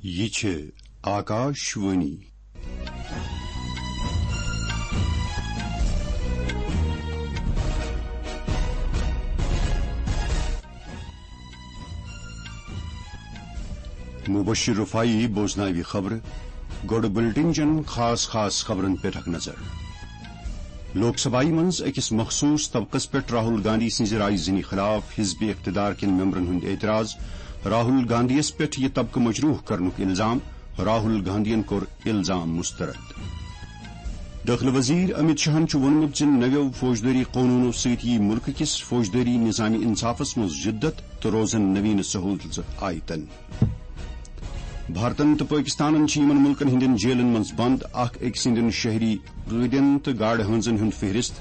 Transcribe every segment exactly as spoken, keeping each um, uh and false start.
یہِ چھِ آکاش وانی۔ مبشر رفاعی بوزناوِ خبرٕ۔ گۄڈٕ بُلٹن چٮ۪ن خاص خاص خبرن پٮ۪ٹھ اکھ نظر۔ لوک سبھایہ منٛز أکِس مخصوٗص طبقس پٮ۪ٹھ راہل گاندھی سٕنٛزِ رایہِ زنی خلاف حزب اقتدار کٮ۪ن ممبرن ہُنٛد اعتراض۔ راہل گاندھیَس پٮ۪ٹھ یہِ طبقہٕ مجروح کرنُک الزام۔ راہل گاندھین کوٚر الزام مسترد۔ دٲخلہٕ وزیر امت شاہن چھُ ووٚنمُت زِ نویو فوجدٲری قونوٗنو سۭتۍ یِیہِ مُلکہٕ کِس فوجدٲری نظام انصافس منٛز جدت تہٕ روزن نوین سہولژٕ آیتن۔ بھارتن تہٕ پٲکستانن چھِ یِمن مُلکن ہٕنٛدٮ۪ن جیلن منٛز بند اکھ أکۍ سٕنٛدٮ۪ن شہری قٲدٮ۪ن تہٕ گاڈٕ ہٲنزن ہُنٛد فہرست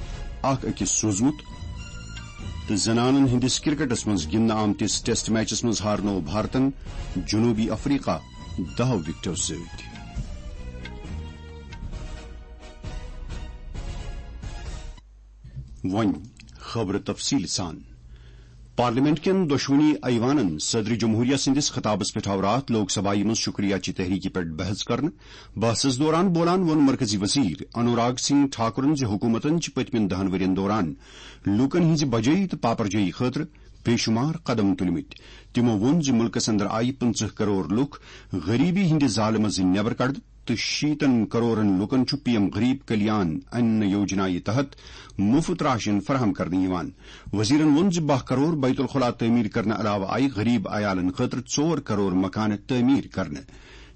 اکھ أکِس سوٗزمُت، تہٕ زنانن ہٕنٛدِس کرکٹس منٛز گِنٛدنہٕ آمتِس ٹیسٹ میچس منٛز ہارنوو بھارتن جنوبی افریقہ دہو وکٹو سۭتۍ۔ وۄنۍ خبرٕ تفصیٖل سان۔ پارلیمنٹ کٮ۪ن دۄشوٕنی ایوانن صدر جمہوریہ سٕنٛدِس خطابس پٮ۪ٹھ آو راتھ لوک سبھایہ منٛز شکریہ چہِ تحریکہِ پٮ۪ٹھ بحث کرنہٕ۔ بحثس دوران بولان ووٚن مرکزی وزیر انوراگ سنگھ ٹھاکرن زِ حکوٗمتن چھِ پٔتمٮ۪ن دہن ؤرین دوران لوٗکن ہٕنٛزِ بجٲیی تہٕ پاپرجٲیی خٲطرٕ بے شمار قدم تُلمٕتۍ۔ تِمو ووٚن زِ مُلکس اندر آیہِ پٕنٛژٕہ کرور لُکھ غریبی ہٕنٛدِ زالہِ منٛز نٮ۪بر کڑنہٕ تہٕ شیٖتن کرورن لوٗکن چھُ پی ایم غریب کلیان ان یوجنایہِ تحت مُفت راشن فراہم کرنہٕ یِوان۔ وزیرن ووٚن زِ باہ کرور بیت الخلا تعمیٖر کرنہٕ علاوٕ آیہِ غریب عیالن خٲطرٕ ژور کرور مکانہٕ تعمیٖر کرنہٕ۔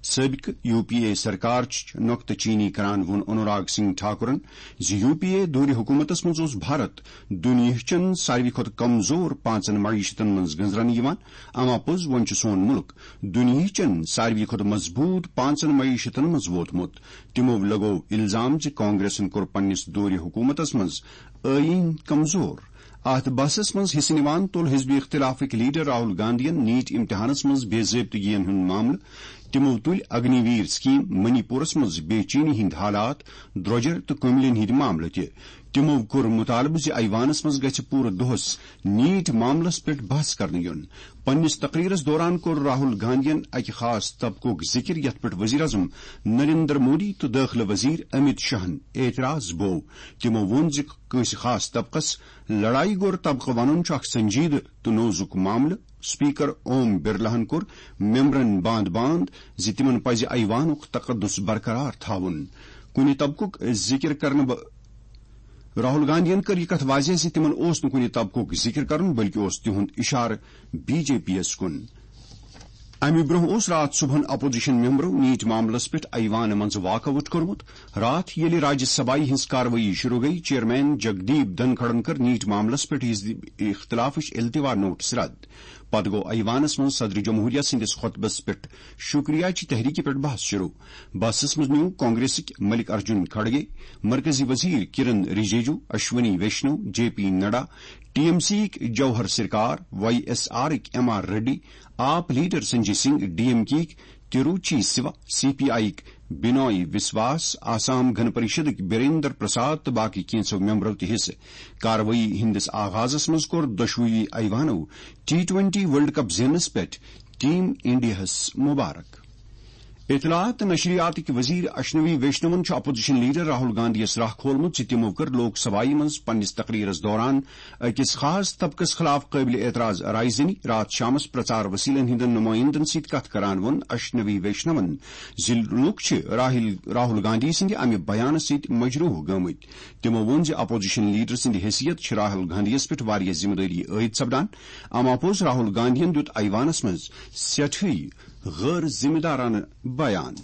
سٲبقہٕ یو پی اے سرکار چھِ نۄقطہٕ چینی کران ووٚن انوراگ سنگھ ٹھاکرن زِ یو پی اے دورِ حکوٗمتس منٛز اوس بھارت دُنیاہچٮ۪ن ساروی کھۄتہٕ کمزور پانٛژن معیشتن منٛز گنزرنہٕ یِوان۔ اما پوٚز وۄنۍ چھُ سون مُلک دُنیاہچٮ۪ن ساروی کھۄتہٕ مضبوٗط پانٛژن معیشتن منٛز ووتمُت۔ تِمو لگوو الزام زِ کانگریسن کوٚر پننِس دورِ حکوٗمتس منٛز ٲییٖن کمزور۔ اتھ بحثس منٛز حصہٕ نِوان تُل حزب اختلافٕکۍ لیڈر راہل گاندھین نیٹ امتحانس منٛز بے ضٲبطگین ہُنٛد معاملہٕ۔ تِمو تُلۍ اگنی ویر سکیم، منی پورس منٛز بے چینی ہٕنٛدۍ حالات، درۄجر تہٕ کٔملین ہٕنٛدۍ معاملہٕ تہِ۔ تِمو کوٚر مطالبہٕ زِ ایوانس منٛز گژھِ پوٗرٕ دۄہس نیٹ معاملس پٮ۪ٹھ بحث کرنہٕ یُن۔ پننِس تقریرس دوران کوٚر راہل گاندھین اکہِ خاص طبقُک ذکر یتھ پٮ۪ٹھ وزیر اعظم نریندر مودی تہٕ دٲخلہٕ وزیر امت شاہن اعتراض بوو۔ تِمو ووٚن زِ کٲنٛسہِ خاص طبقس لڑایہِ گوٚر طبقہٕ ونُن چھُ اکھ سنجیدٕ تہٕ نوزُک معاملہٕ۔ اسپیکر اوم برلاہن کوٚر ممبرن باند باند زِ تِمن پزِ ایوانُک تقدس برقرار تھاوُن۔ کُنہِ طبقُک ذکر کرنہٕ ب-، راہل گاندھین کٔر یہِ کتھ واضح زِ تِمن اوس نہٕ کُنہِ طبقُک ذکر کرُن، بلکہِ اوس تِہُنٛد اشارٕ بی جے پی یَس کُن۔ امہِ برونٛہہ اوس راتھ صبحن اپوزیشن ممبرو نیٹ معاملس پٮ۪ٹھ ایوانہٕ منٛزٕ واک آؤٹ کوٚرمُت۔ راتھ ییٚلہِ راجیہ سبھایہ ہٕنٛز کاروٲیی شروع گٔیہِ، چیئرمین جگدیپ دھنکھڑن کٔر نیٹ معاملس پٮ۪ٹھ حزب اختلافٕچ التوا نوٹس رد۔ پتہٕ گوٚو ایوانس منٛز صدر جمہوریہ سٕنٛدِس خطبس پٮ۪ٹھ شکریہ چہِ تحریکہِ پٮ۪ٹھ بحث شروع۔ بحثس منٛز نیوٗ کانگریسٕکۍ ملک ارجن کھڑگے، مرکزی وزیر Kiren Rijiju, Ashwini Vaishnaw, J P Nadda, T M C یِکۍ جوہر سرکار، وائی ایس آرٕکۍ M R Reddy, AAP leader Sanjay Singh, D M K یِکۍ Tiruchi Siva, C P I یِکۍ بینوئی وسواس، آسام گن پریشدٕکۍ بیریندر پرساد تہٕ باقی کینٛژھو ممبرو تہِ حصہٕ۔ کاروٲیی ہٕنٛدِس آغازس منٛز کوٚر دۄشوٕیی ایوانو ٹی ٹوئنٹی ورلڈ کپ زیننس پٮ۪ٹھ ٹیم انڈیاہس مبارک۔ اطلاعات تہٕ نشریاتٕکۍ وزیر اشنوی ویشنون چھُ اپوزیشن لیڈر راہل گاندھیَس راہ کھولمُت زِ تِمو کٔر لوک سبھایہ منٛز پننِس تقریرس دوران أکِس خاص طبقس خلاف قٲبلِ اعتراض رائے زنی۔ راتھ شامس پرچار وسیلن ہٕنٛدٮ۪ن نمائندن سۭتۍ کتھ کران ووٚن اشنوی ویشنون زِ لوٗکھ چھِ راہل، راہل گاندھی سٕنٛدِ امہِ بیانہٕ سۭتۍ مجروح گٔمٕتۍ۔ تِمو ووٚن زِ اپوزیشن لیڈر سٕنٛدِ حیثیت چھِ راہل گاندھیَس پٮ۪ٹھ واریاہ ذمہٕ دٲری عائد سپدان۔ اما پوٚز راہل گاندھین دیُت ایوانس منٛز سٮ۪ٹھٕے غٲر ذمہٕ دارانہٕ بیان۔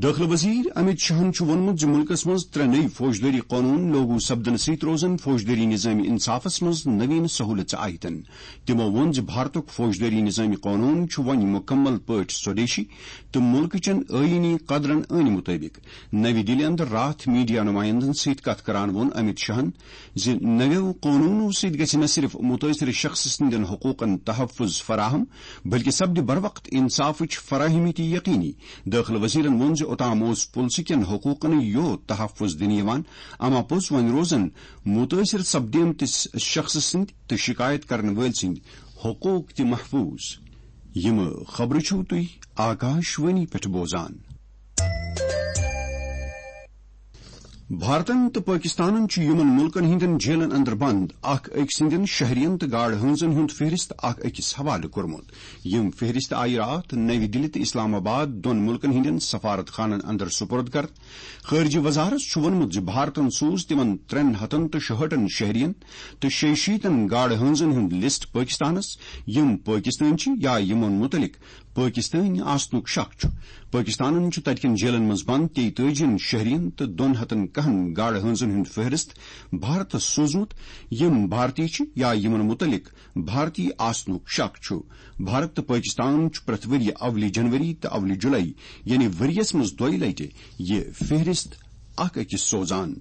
دٲخلہٕ وزیر امت شاہن چھُ ووٚنمُت زِ مُلکس منٛز ترٛےٚ نٔوۍ فوجدٲری قونوٗن لاگو سپدنہٕ سۭتۍ روزن فوجدٲری نظام انصافس منٛز نوین سہولژٕ آیتن۔ تِمو ووٚن زِ بھارتُک فوجدٲری نظام قونوٗن چھُ وۄنۍ مُکمل پٲٹھۍ سودیشی تہٕ مُلکہٕ چٮ۪ن آئینی قدرن عٲنۍ مُطٲبِق۔ نَوِ دِلہِ اندر راتھ میڈیا نمائندن سۭتۍ کتھ کران ووٚن امت شاہن زِ نویو قونوٗنو سۭتۍ گژھِ نہ صرف مُتٲثر شخص سٕنٛدٮ۪ن حقوٗقن تحفظ فراہم، بلکہِ سپدِ بروقت انصافٕچ فراہمی تہِ یقینی۔ دٲخلہٕ وزیرن ووٚن زِ اوتام اوس پُلسہٕ کٮ۪ن حقوٗقن یوت تحفظ دِنہٕ یِوان، اما پوٚز وۄنۍ روزن مُتٲثر سپدیمتِس شخص سٕنٛدۍ تہٕ شکایت کرن وٲلۍ سٕنٛدۍ حقوٗق تہِ محفوٗظ۔ یِم خبرٕ چھِو تُہۍ آکاش وانی پٮ۪ٹھ بوزان۔ بھارتن تہٕ پٲکِستانن چھُ یِمن مُلکن ہٕنٛدٮ۪ن جیلن اندر بند اکھ أکۍ سٕنٛدٮ۪ن شہرین تہٕ گاڈٕ ہٲنزن ہُنٛد فہرست اکھ أکِس حوالہٕ کوٚرمُت۔ یِم فہرست آیہِ راتھ نَوِ دِلہِ تہٕ اسلام آباد دۄن مُلکن ہٕنٛدٮ۪ن سفارت خانن اندر سپرد کرنہٕ۔ خارجہ وزارت چھُ ووٚنمُت زِ بھارتن سوٗز تِمن ترٛٮ۪ن ہتن تہٕ شُہٲٹھن شہرین تہٕ شیٚیہِ شیٖتن گاڈٕ ہٲنزن ہُنٛد لسٹ پٲکِستانس، یِم پٲکِستٲنۍ چھِ یا یِمن مُتعلق پٲکِستٲنۍ آسنُک شک چھُ۔ پٲکِستانن چھُ تَتہِ کٮ۪ن جیلن منٛز بنٛد تیٚیہِ تٲجی ہن شہرین تہٕ دۄن ہتن کاہن گاڈٕ ہٲنزن ہُنٛد فہرست بھارتس سوٗزمُت، یِم بھارتی چھِ یا یِمن مُتعلق بھارتی آسنُک شک چھُ۔ بھارت تہٕ پٲکِستان چھُ پرٛٮ۪تھ ؤرۍ یہِ اولہِ جنوری تہٕ اولہِ جُلای، یعنی ؤرۍ یَس منٛز دۄیہِ لٹہِ، یہِ فہرست اکھ أکِس سوزان۔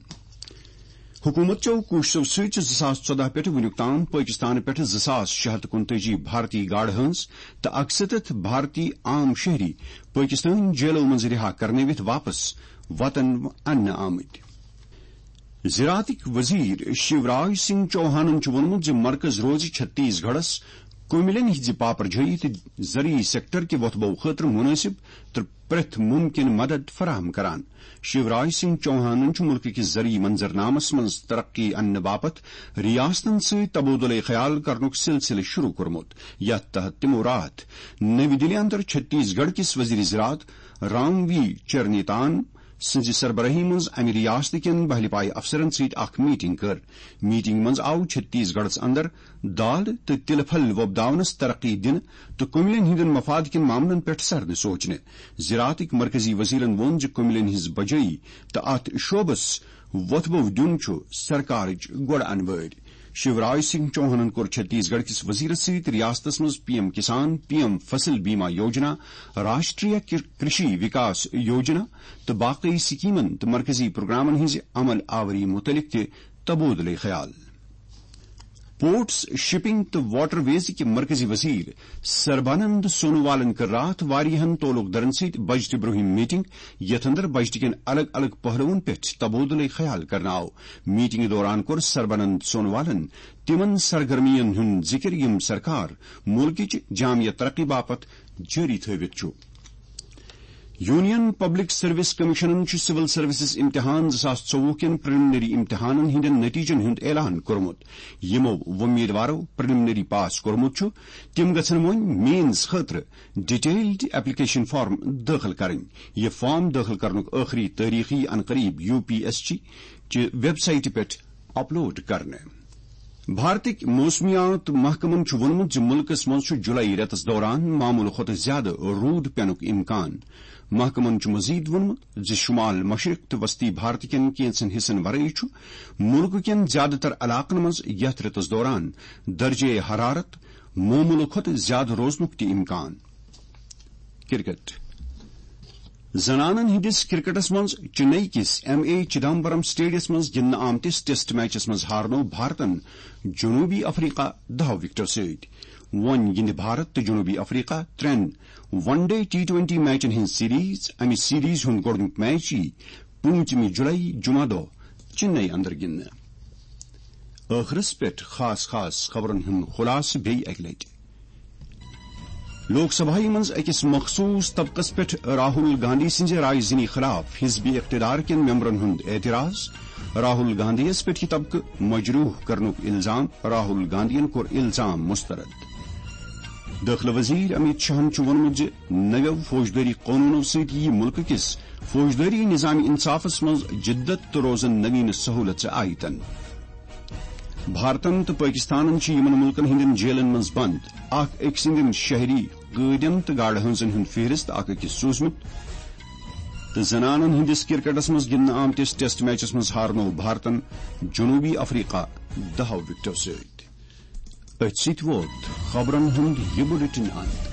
حکوٗمت چٮ۪و کوٗششو سۭتۍ چھِ زٕ ساس ژۄدہ پٮ۪ٹھ وُنیُک تام پٲکِستانہٕ پٮ۪ٹھ زٕ ساس شےٚ ہتھ کُنتٲجی بھارتی گاڈٕ ہٲنز تہٕ اَکسَتتھ بھارتی عام شہری پٲکِستٲنۍ جیلو منٛز رِہا کرنٲوِتھ واپس وطن اننہٕ آمٕتۍ۔ زراعتٕکۍ وزیر شیوراج سنگھ چوہانن چھُ ووٚنمُت زِ مرکز روزِ چھتیس گڑھس کُمِلٮ۪ن ہٕنٛزِ پاپرجٲیی تہٕ زرعی سیکٹر کہِ وۄتھبو خٲطرٕ مُنٲسِب تہٕ پرٛٮ۪تھ مُمکِن مدد فراہم کران۔ شیوراج سنگھ چوہانن چھُ مُلکہٕ کِس زرعی منظرنامس منٛز ترقی اننہٕ باپتھ ریاستن سۭتۍ تبادلے خیال کرنُک سلسلہٕ شروع کوٚرمُت، یتھ تحت تِمو راتھ نٔوِ دِلہِ اندر چھتیس گڑھ کِس وزیر زراعت رام وی چرنیتان سٕنٛزِ سربرٲہی منٛز امہِ ریاستہٕ کٮ۪ن بہلہِ پایہِ افسرن سۭتۍ اکھ میٹنگ کٔر۔ میٹنگ منٛز آو چھتیس گڑھس اندر دال تہٕ تِلہٕ پھل وۄپداونس ترقی دِنہٕ تہٕ کُمِلٮ۪ن ہٕنٛدٮ۪ن مفاد کٮ۪ن معاملن پٮ۪ٹھ سرنہٕ سوچنہٕ۔ زراعتٕکۍ مرکزی وزیرن ووٚن زِ کُمِلٮ۪ن ہٕنٛز بجٲیی تہٕ اتھ شعبس وۄتھبو دیُن چھُ سرکارٕچ گۄڈٕ انوٲرۍ۔ شیوراج سنگھ چوہانن کوٚر چھتیس گڑھ کِس وزیرس سۭتۍ ریاستس منٛز پی ایم کسان، پی ایم فصل بیمہ یوجنا، راشٹریہ کر-، کرشی وکاس یوجنا تہٕ باقی سکیمن تہٕ مرکزی پروگرامن ہٕنٛزِ عمل آوری مُتعلق تہِ تبادلہٕ خیال۔ پورٹس، شپنگ تہٕ واٹر ویز کہِ مرکزی وزیر سربانند سونووالن کٔر راتھ واریاہن تعلق دارن سۭتۍ بجٹہٕ برونٛہم میٹنگ، یتھ اندر بجٹہٕ کٮ۪ن الگ الگ پہلوَن پٮ۪ٹھ تبادلہٕ خیال کرنہٕ آو۔ میٹنگ دوران کوٚر سربانند سونووالن تِمن سرگرمین ہُنٛد ذکر یِم سرکار مُلکٕچ جامع ترقی باپتھ جٲری تھٲوِتھ چھُ۔ یونین پبلک سروس کمیشنن چھُ سول سروسز امتحان زٕ ساس ژوٚوُہ کٮ۪ن پریلمنری امتحانن ہٕنٛدٮ۪ن نتیجن ہُنٛد اعلان کوٚرمُت۔ یِمو وۄمیدوارو پریلمنری پاس کوٚرمُت چھُ، تِم گژھن وۄنۍ مینز خٲطرٕ ڈیٹیلڈ ایپلیکیشن فارم دٲخل کرٕنۍ۔ یہِ فارم دٲخل کرنُک ٲخری تٲریخ یی انقریب یو پی ایس سی چہِ ویب سائٹہِ پٮ۪ٹھ اپلوڈ کرنہٕ۔ بھارتٕکۍ موسمیات محکمن چھُ ووٚنمُت زِ مُلکَس منٛز چھُ جولائی رٮ۪تَس دوران معموٗل کھۄتہٕ زِیٛادٕ روٗد پینُک امکان۔ محکمن چھُ مزید ووٚنمُت زِ شمال مشرق تہٕ وسطی بھارت کٮ۪ن کینٛژن حصن ورٲے چھُ مُلکہٕ کٮ۪ن زِیٛادٕ تر علاقن منٛز یَتھ رٮ۪تَس دوران درجہ حرارت معموٗل کھۄتہٕ زِیٛادٕ روزنُک تہِ امکان۔ کرکٹ۔ زنانن ہٕنٛدِس کرکٹس منٛز چنئی کِس ایم اے چدمبرم سٹیڈیمس منٛز گِنٛدنہٕ آمتِس ٹیسٹ میچس منٛز ہارنوو بھارتن جنوبی افریقہ دَہو وکٹو سۭتۍ۔ وۄنۍ گِنٛدِ بھارت تہٕ جنوبی افریقہ ترٛٮ۪ن ون ڈے ٹی ٹوینٹی میچن ہٕنٛز سیریز۔ امہِ سیریز ہُنٛد گۄڈٕنیُک میچ یی پوٗنٛژمہِ جولائی جمعہ دۄہ چنئی اندر گِنٛدنہٕ۔ ٲخرس پٮ۪ٹھ خاص خاص خبرن ہُنٛد خلاصہٕ بیٚیہِ اکہِ لٹہِ۔ لوک سبھایہ منٛز أکِس مخصوٗص طبقس پٮ۪ٹھ راہل گاندھی سٕنٛزِ رایہِ زنی خلاف حزب اقتدار کٮ۪ن ممبرن ہُنٛد اعتراض، راہل گاندھیَس پٮ۪ٹھ یہِ طبقہٕ مجروح کرنُک الزام، راہل گاندھین کوٚر الزام مسترد۔ دٲخلہٕ وزیر امیت شاہن چھُ ووٚنمُت زِ نویو فوجدٲری قونوٗنو سۭتۍ یِیہِ مُلکہٕ کِس فوجدٲری نظام انصافس منٛز جدت تہٕ روزن نویٖن سہوٗلژٕ عائدن۔ بھارتن تہٕ پٲکِستانن چھِ یِمن مُلکن ہٕنٛدٮ۪ن جیلن منٛز بنٛد اکھ أکۍ سٕنٛدٮ۪ن شہری قٲدٮ۪ن تہٕ گاڈٕ ہٲنزن ہُنٛد فہرست اکھ أکِس سوٗزمُت۔ تہٕ زنانن ہٕنٛدِس کرکٹس منٛز گِنٛدنہٕ آمتِس ٹیسٹ میچس منٛز ہارنوو بھارتن جنوبی افریقہ دَہو وکٹو سۭتۍ۔ أتھۍ سۭتۍ ووت خبرن ہُنٛد یہِ بُلٹن اند۔